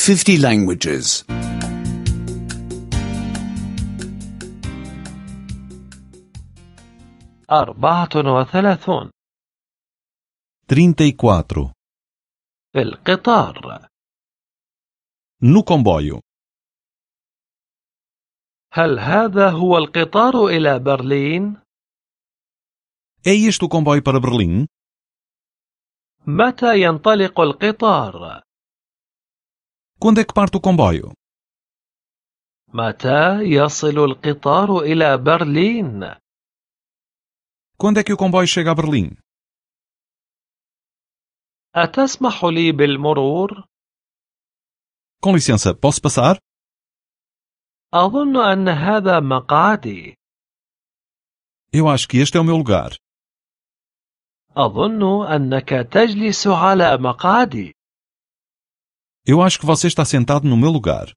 50 languages. 34 34. في القطار. No comboio. هل هذا هو القطار إلى برلين؟ É este o comboio para Berlim? متى ينطلق القطار؟ Quando é que parte o comboio? متى يصل القطار إلى برلين؟ Quando é que o comboio chega a Berlim? أتسمح لي بالمرور؟ Com licença, posso passar? أظن أن هذا مقعدي. Eu acho que este é o meu lugar. أظن أنك تجلس على مقعدي. Eu acho que você está sentado no meu lugar.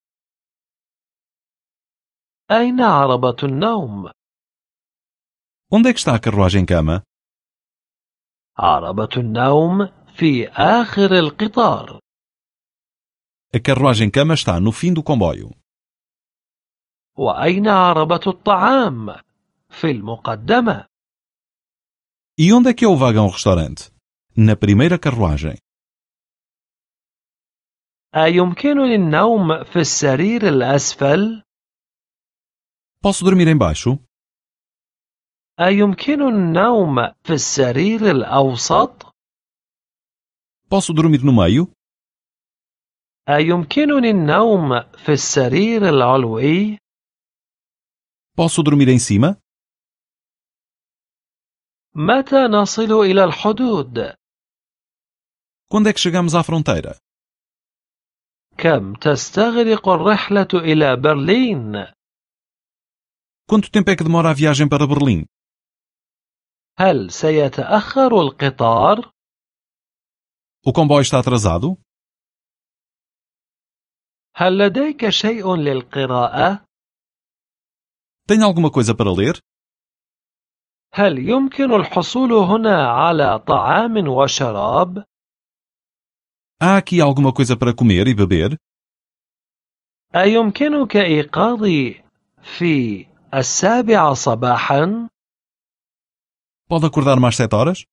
أين عربة النوم؟ Onde é que está a carruagem-cama? عربة النوم في آخر القطار. A carruagem-cama está no fim do comboio. وأين عربة الطعام؟ في المقدمة. E onde é que é o vagão-restaurante? Na primeira carruagem. أيمكنني النوم في السرير الأسفل؟ Posso dormir embaixo? أيمكنني النوم في السرير الأوسط؟ Posso dormir no meio? أيمكنني النوم في السرير العلوي؟ Posso dormir em cima? متى نصل إلى الحدود؟ Quando é que chegamos à fronteira? كم تستغرق الرحلة إلى برلين؟ Quanto tempo é que demora a viagem para Berlim? هل سيتأخر القطار؟ O comboio está atrasado? هل لديك شيء للقراءة؟ Tem alguma coisa para ler? هل يمكن الحصول هنا على طعام وشراب؟ Há aqui alguma coisa para comer e beber? أيمكنك إيقاظي في 7 صباحا؟ Pode acordar mais 7 horas?